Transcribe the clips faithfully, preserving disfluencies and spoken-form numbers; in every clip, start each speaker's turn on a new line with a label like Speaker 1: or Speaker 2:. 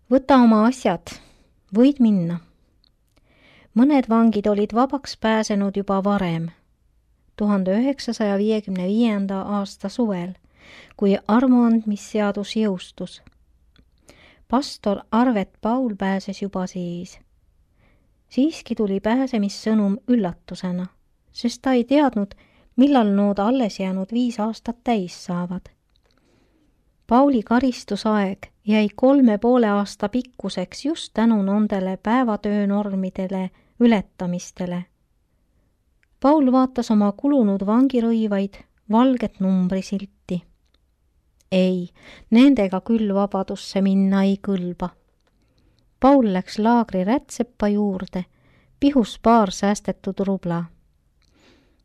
Speaker 1: Võta oma asjad, võid minna. Mõned vangid olid vabaks pääsenud juba varem, tuhande üheksasaja viiekümne viienda aasta suvel, kui armuandmisseadus jõustus. Pastor Arvet Paul pääses juba siis. Siiski tuli pääsemissõnum üllatusena, sest ta ei teadnud, millal nood alles jäänud viis aastat täis saavad. Pauli karistusaeg jäi kolme poole aasta pikkuseks just tänu nendele päevatöönormidele ületamistele. Paul vaatas oma kulunud vangirõivaid valget numbrisilti. Ei, nendega küll vabadusse minna ei kõlba. Paul läks laagri rätsepa juurde, pihus paar säästetud rubla.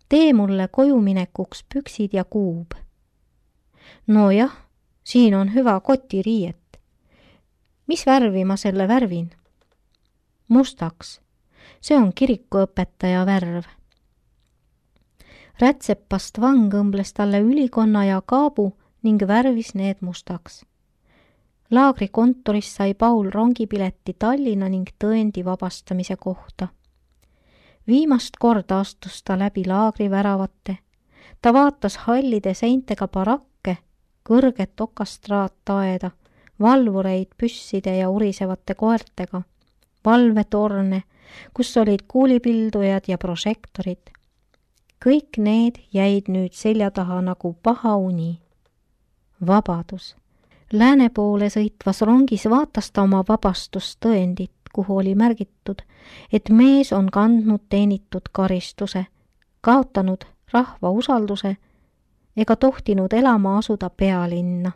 Speaker 1: Tee mulle kojuminekuks püksid ja kuub. No jah, siin on hyvä kotiriiet. Mis värvi ma selle värvin? Mustaks. See on kirikuõpetaja värv. Rätsepast vang õmbles talle ülikonna ja kaabu ning värvis need mustaks. Laagri kontoris sai Paul rongipileti Tallinna ning tõendi vabastamise kohta. Viimast korda astus ta läbi laagri väravate. Ta vaatas hallide seintega barakke, kõrget okastraattaeda, valvureid püsside ja urisevate koertega, valvetorne, kus olid kuulipildujad ja prožektorid. Kõik need jäid nüüd selja taha nagu paha uni. Vabadus. Lääne poole sõitvas rongis vaatas ta oma vabastustõendit, kuhu oli märgitud, et mees on kandnud teenitud karistuse, kaotanud rahva usalduse ega tohtinud elama asuda pealinna.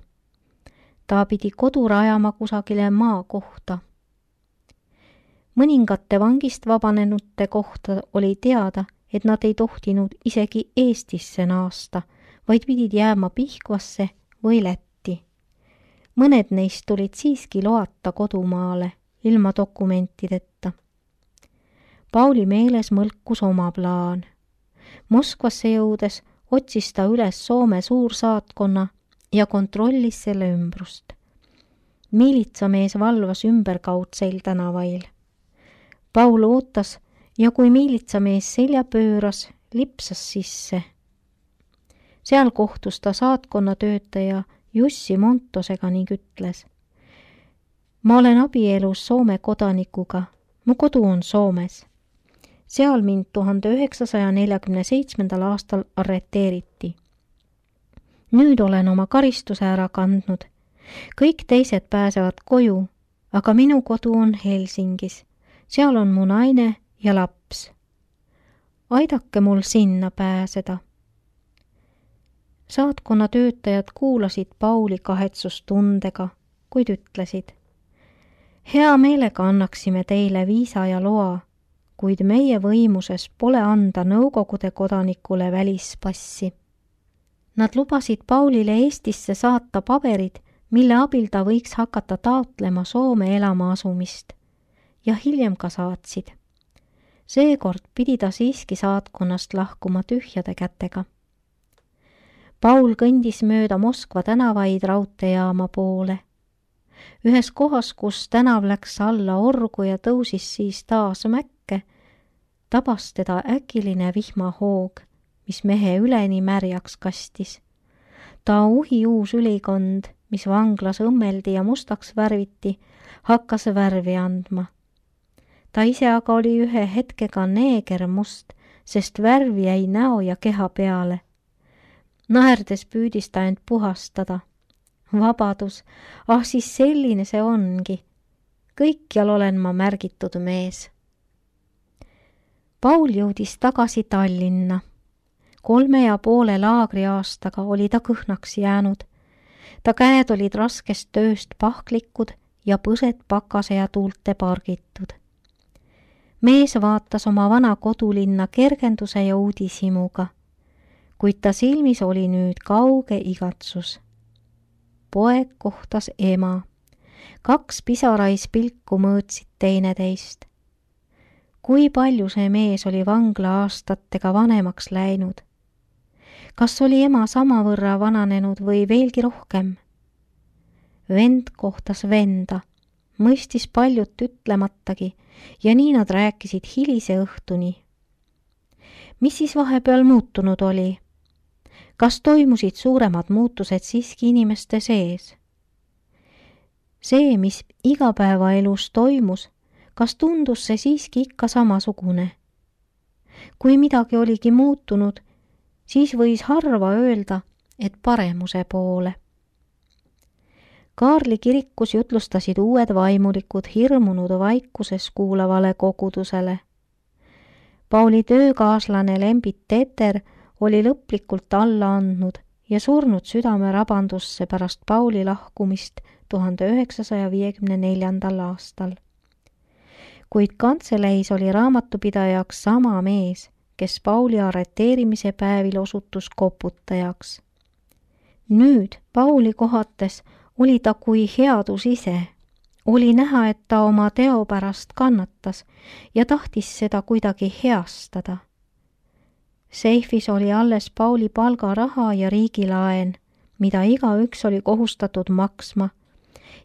Speaker 1: Ta pidi kodu rajama kusagile maa kohta. Mõningate vangist vabanenute kohta oli teada, et nad ei tohtinud isegi Eestisse naasta, vaid pidid jääma Pihkvasse või Lätti. Mõned neist tulid siiski loata kodumaale, ilma dokumentideta. Pauli meeles mõlkus oma plaan. Moskvasse jõudes otsis ta üles Soome suursaatkonna ja kontrollis selle ümbrust. Miilitsamees valvas ümberkaudseil tänavail. Paul ootas ja kui miilitsamees selja pööras, lipsas sisse. Seal kohtus ta saatkonna töötaja Jussi Montosega ning ütles: Ma olen abielus Soome kodanikuga, mu kodu on Soomes. Seal mind tuhande üheksasaja neljakümne seitsmendal aastal arreteeriti. Nüüd olen oma karistuse ära kandnud. Kõik teised pääsevad koju, aga minu kodu on Helsingis. Seal on mu naine ja laps. Aidake mul sinna pääseda. Saatkonna töötajad kuulasid Pauli kahetsustundega, kuid ütlesid: Hea meelega annaksime teile viisa ja loa, kuid meie võimuses pole anda Nõukogude kodanikule välispassi. Nad lubasid Paulile Eestisse saata paberid, mille abil ta võiks hakata taotlema Soome elama asumist, ja hiljem ka saatsid. Seekord pidi ta siiski saatkonnast lahkuma tühjade kätega. Paul kõndis mööda Moskva tänavaid raudteejaama poole. Ühes kohas, kus tänav läks alla orgu ja tõusis siis taas mäkke, tabas teda äkiline vihmahoog, mis mehe üleni märjaks kastis. Ta uhi uus ülikond, mis vanglas õmmeldi ja mustaks värviti, hakkas värvi andma. Ta ise aga oli ühe hetkega neeger must, sest värvi jäi näo ja keha peale. Naerdes püüdis ta end puhastada. Vabadus, ah siis selline see ongi. Kõikjal olen ma märgitud mees. Paul jõudis tagasi Tallinna. Kolme ja poole laagri aastaga oli ta kõhnaks jäänud. Ta käed olid raskest tööst pahklikud ja põsed pakase ja tuulte pargitud. Mees vaatas oma vana kodulinna kergenduse ja uudishimuga, kuid ta silmis oli nüüd kauge igatsus. Poeg kohtas ema. Kaks pisarais pilku mõõtsid teineteist. Kui palju see mees oli vangla aastatega vanemaks läinud? Kas oli ema samavõrra vananenud või veelgi rohkem? Vend kohtas venda. mõistis paljut ütlematagi ja nii nad rääkisid hilise õhtuni. Mis siis vahepeal muutunud oli? Kas toimusid suuremad muutused siiski inimeste sees? See, mis igapäevaelus toimus, kas tundus see siiski ikka samasugune? Kui midagi oligi muutunud, siis võis harva öelda, et paremuse poole. Kaarli kirikus jutlustasid uued vaimulikud hirmunud vaikuses kuulavale kogudusele. Pauli töökaaslane Lembit Teter oli lõplikult alla andnud ja surnud südame rabandusse pärast Pauli lahkumist tuhande üheksasaja viiekümne neljandal aastal. Kuid kantseleis oli raamatupidajaks sama mees, kes Pauli arreteerimise päevil osutus koputajaks. Nüüd Pauli kohates oli ta kui headus ise. Oli näha, et ta oma teo pärast kannatas ja tahtis seda kuidagi heastada. Seifis oli alles Pauli palgaraha ja riigilaen, mida igaüks oli kohustatud maksma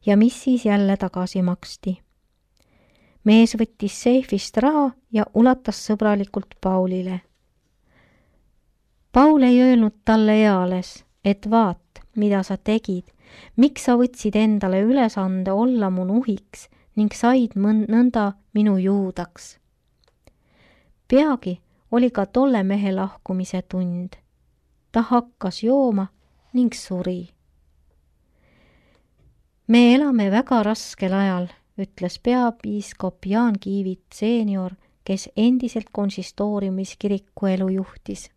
Speaker 1: ja mis siis jälle tagasi maksti. Mees võttis seifist raha ja ulatas sõbralikult Paulile. Paul ei öelnud talle eales, et vaat, mida sa tegid, miks sa võtsid endale ülesande olla mu nuhiks ning said nõnda minu juudaks. Peagi oli ka tolle mehe lahkumise tund. Ta hakkas jooma ning suri. Me elame väga raskel ajal, ütles peapiiskop Jaan Kiivit seenior, kes endiselt konsistooriumis kirikuelu juhtis.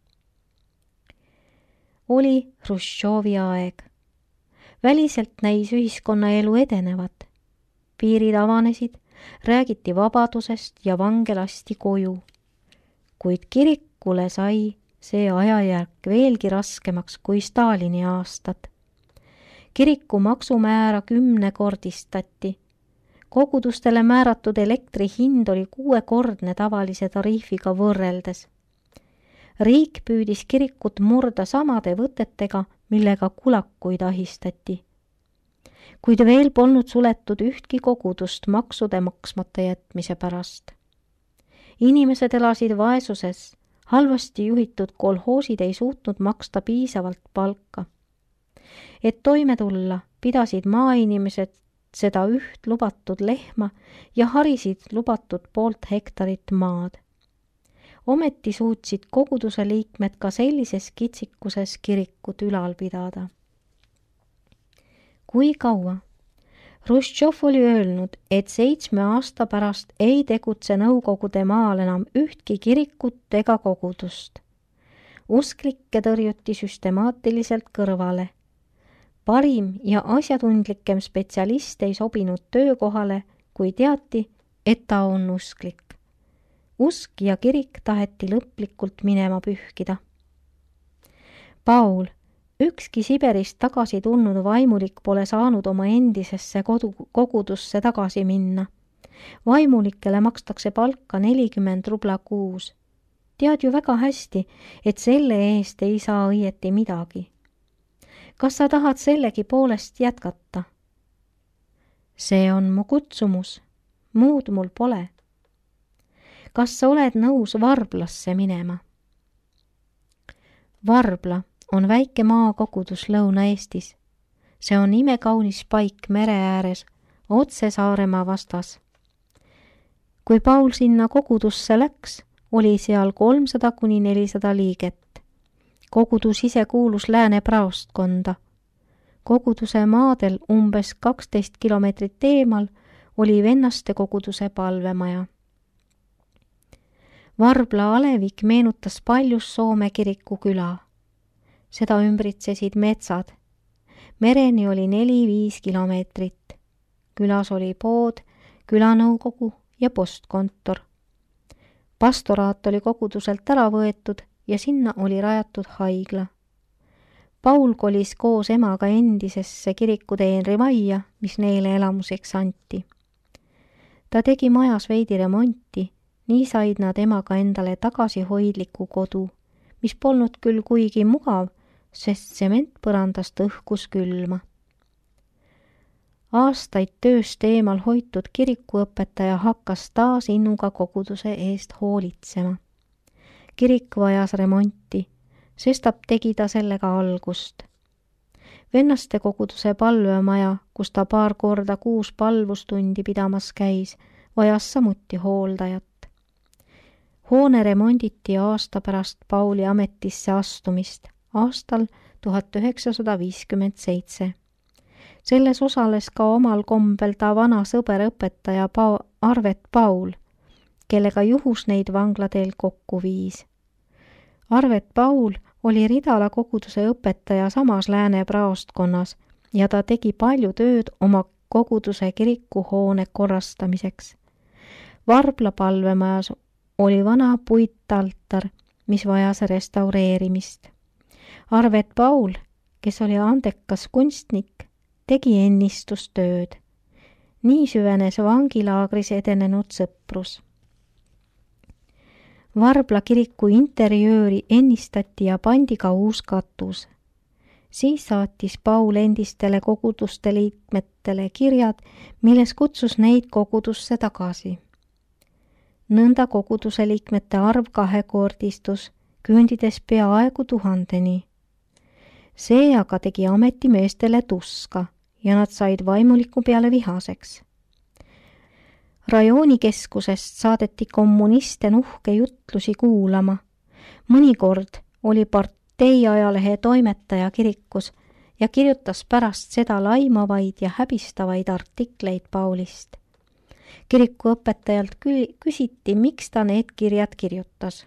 Speaker 1: Oli Hruštšovi aeg. Väliselt näis ühiskonnaelu edenevat. Piirid avanesid, räägiti vabadusest ja vange lasti koju. Kuid kirikule sai see ajajärk veelgi raskemaks kui Stalini aastad. Kiriku maksumäära kümnekordistati. Kogudustele määratud elektri hind oli kuuekordne tavalise tariifiga võrreldes. Riik püüdis kirikut murda samade võtetega, millega kulakuid ahistati. Kuid veel polnud suletud ühtki kogudust maksude maksmata jätmise pärast. Inimesed elasid vaesuses, halvasti juhitud kolhoosid ei suutnud maksta piisavalt palka. Et toime tulla, pidasid maainimesed seda üht lubatud lehma ja harisid lubatud poolt hektarit maad. Ometi suutsid koguduse liikmed ka sellises kitsikuses kirikut ülal pidada. Kui kaua? Hruštšov oli öelnud, et seitsme aasta pärast ei tegutse Nõukogude maal enam ühtki kirikut ega kogudust. Usklikke tõrjuti süstemaatiliselt kõrvale. Parim ja asjatundlikem spetsialist ei sobinud töökohale, kui teati, et ta on usklik. Usk ja kirik taheti lõplikult minema pühkida. Paul, ükski Siberist tagasi tulnud vaimulik pole saanud oma endisesse kodu, kogudusse tagasi minna. Vaimulikele makstakse palka nelikümmend rubla kuus. Tead ju väga hästi, et selle eest ei saa õieti midagi. Kas sa tahad sellegi poolest jätkata? See on mu kutsumus, muud mul pole. Kas sa oled nõus Varblasse minema? Varbla on väike maakogudus Lõuna-Eestis. See on imekaunis paik mere ääres, otse Saaremaa vastas. Kui Paul sinna kogudusse läks, oli seal kolmsada kuni nelisada liiget. Kogudus ise kuulus Lääne praostkonda. Koguduse maadel umbes kaksteist kilomeetrit eemal oli vennaste koguduse palvemaja. Varbla alevik meenutas paljus Soome kiriku küla. Seda ümbritsesid metsad. Mereni oli neli-viis kilomeetrit. Külas oli pood, külanõukogu ja postkontor. Pastoraat oli koguduselt ära võetud ja sinna oli rajatud haigla. Paul kolis koos emaga endisesse kirikuteenri majja, mis neile elamuseks anti. Ta tegi majas veidi remonti, nii said nad emaga endale tagasihoidliku kodu, mis polnud küll kuigi mugav, sest sementpõrandast õhkus külma. Aastaid tööst eemal hoitud kirikuõpetaja hakkas taas innuga koguduse eest hoolitsema. Kirik vajas remonti, sestap tegi ta sellega algust. Vennaste koguduse palvemaja, kus ta paar korda kuus palvustundi pidamas käis, vajas samuti hooldajat. Hoone remonditi aasta pärast Pauli ametisse astumist, aastal tuhat üheksasada viiskümmend seitse. Selles osales ka omal kombel ta vana sõber õpetaja pa- Arvet Paul, kellega juhus neid vanglateel kokku viis. Arvet Paul oli Ridala koguduse õpetaja samas Lääne praostkonnas ja ta tegi palju tööd oma koguduse kirikuhoone korrastamiseks. Varbla palvemajas oli vana puitaltar, mis vajas restaureerimist. Arvet Paul, kes oli andekas kunstnik, tegi ennistustööd. Nii süvenes vangilaagris edenenud sõprus. Varbla kiriku interjööri ennistati ja pandi ka uus katus. Siis saatis Paul endistele koguduste liikmetele kirjad, milles kutsus neid kogudusse tagasi. Nõnda koguduse liikmete arv kahekordistus, küündides peaaegu tuhandeni. See aga tegi ametimeestele tuska ja nad said vaimuliku peale vihaseks. Rajoonikeskusest saadeti kommuniste nuhke jutlusi kuulama. Mõnikord oli partei ajalehe toimetaja kirikus ja kirjutas pärast seda laimavaid ja häbistavaid artikleid Paulist. Kirikuõpetajalt küsiti, miks ta need kirjad kirjutas.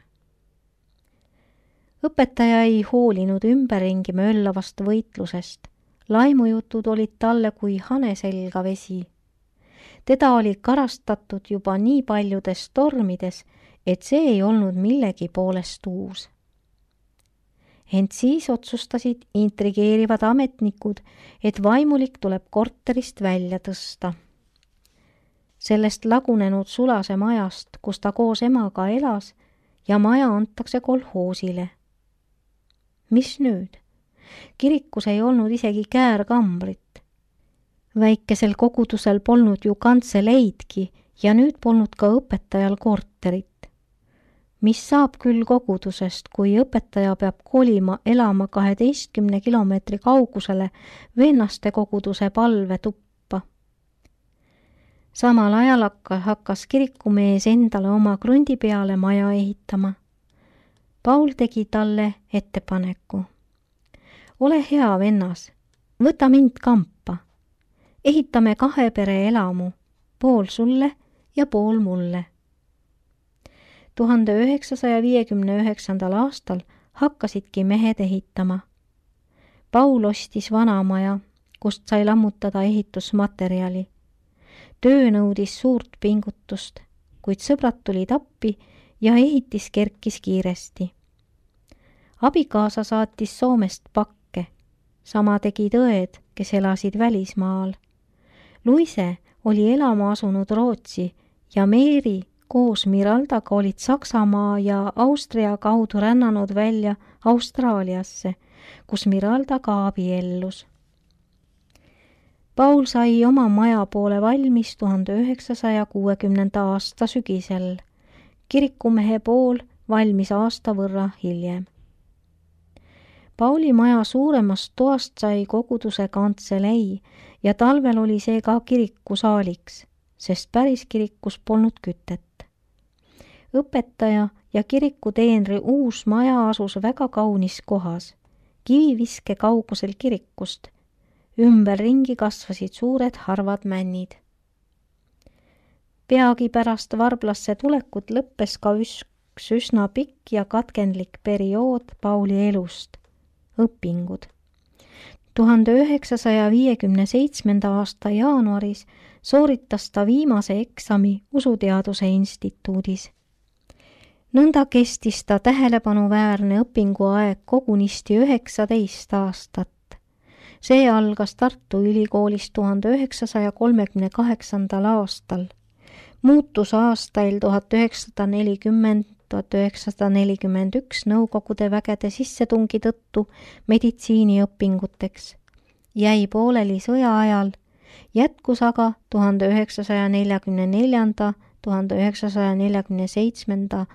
Speaker 1: Õpetaja ei hoolinud ümberringi möllavast võitlusest. Laimujutud olid talle kui hane selga vesi. Teda oli karastatud juba nii paljudes tormides, et see ei olnud millegi poolest uus. Ent siis otsustasid intrigeerivad ametnikud, et vaimulik tuleb korterist välja tõsta. Sellest lagunenud sulase majast, kus ta koos emaga elas, ja maja antakse kolhoosile. Mis nüüd? Kirikus ei olnud isegi käärkambrit. Väikesel kogudusel polnud ju kantseleidki ja nüüd polnud ka õpetajal korterit. Mis saab küll kogudusest, kui õpetaja peab kolima elama kaheteistkümne kilomeetri kaugusele vennaste koguduse palvetuppa? Samal ajal hakkas kirikumees endale oma krundi peale maja ehitama. Paul tegi talle ettepaneku. Ole hea, vennas, võta mind kampa. Ehitame kahe pere elamu, pool sulle ja pool mulle. tuhande üheksasaja viiekümne üheksandal aastal hakkasidki mehed ehitama. Paul ostis vanamaja, kust sai lammutada ehitusmaterjali. Töö nõudis suurt pingutust, kuid sõbrad tulid appi ja ehitis kerkis kiiresti. Abikaasa saatis Soomest pakke, sama tegid õed, kes elasid välismaal. Luise oli elama asunud Rootsi ja Meeri koos Miraldaga olid Saksamaa ja Austria kaudu rännanud välja Austraaliasse, kus Miralda ka abiellus. Paul sai oma maja poole valmis tuhande üheksasaja kuuekümnenda aasta sügisel, kirikumehe pool valmis aasta võrra hiljem. Pauli maja suuremast toast sai koguduse kantselei ja talvel oli see ka kirikusaaliks, sest päris kirikus polnud kütet. Õpetaja ja kirikuteenri uus maja asus väga kaunis kohas, kiviviske kaugusel kirikust. Ümberringi kasvasid suured harvad männid. Peagi pärast Varblasse tulekut lõppes ka üks üsna pikk ja katkendlik periood Pauli elust, õpingud. tuhande üheksasaja viiekümne seitsmenda aasta jaanuaris sooritas ta viimase eksami usuteaduse instituudis. Nõnda kestis ta tähelepanuväärne õpinguaeg kogunisti üheksateist aastat. See algas Tartu Ülikoolis tuhande üheksasaja kolmekümne kaheksandal aastal. Muutus aastail tuhat üheksasada nelikümmend tuhat üheksasada nelikümmend üks Nõukogude vägede sissetungi tõttu meditsiiniõpinguteks. Jäi pooleli sõja ajal Jätkus aga tuhande üheksasaja neljakümne neljanda – tuhande üheksasaja neljakümne seitsmenda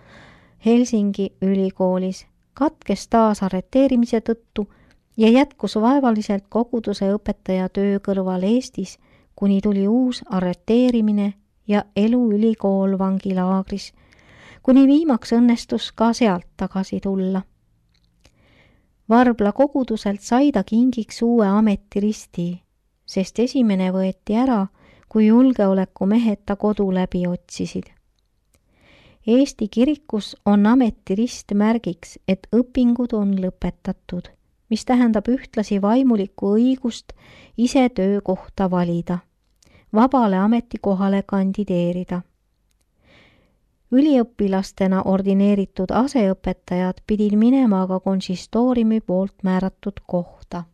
Speaker 1: Helsingi ülikoolis, katkes taas arreteerimise tõttu ja jätkus vaevaliselt koguduse õpetaja töö kõrval Eestis, kuni tuli uus arreteerimine ja elu ülikool vangilaagris, kuni viimaks õnnestus ka sealt tagasi tulla. Varbla koguduselt sai ta kingiks uue ametiristi, sest esimene võeti ära, kui julgeolekumehed ta kodu läbi otsisid. Eesti kirikus on ametirist märgiks, et õpingud on lõpetatud, mis tähendab ühtlasi vaimulikku õigust ise töökohta valida, vabale ametikohale kandideerida. Üliõpilastena ordineeritud aseõpetajad pidid minema aga konsistooriumi poolt määratud kohta.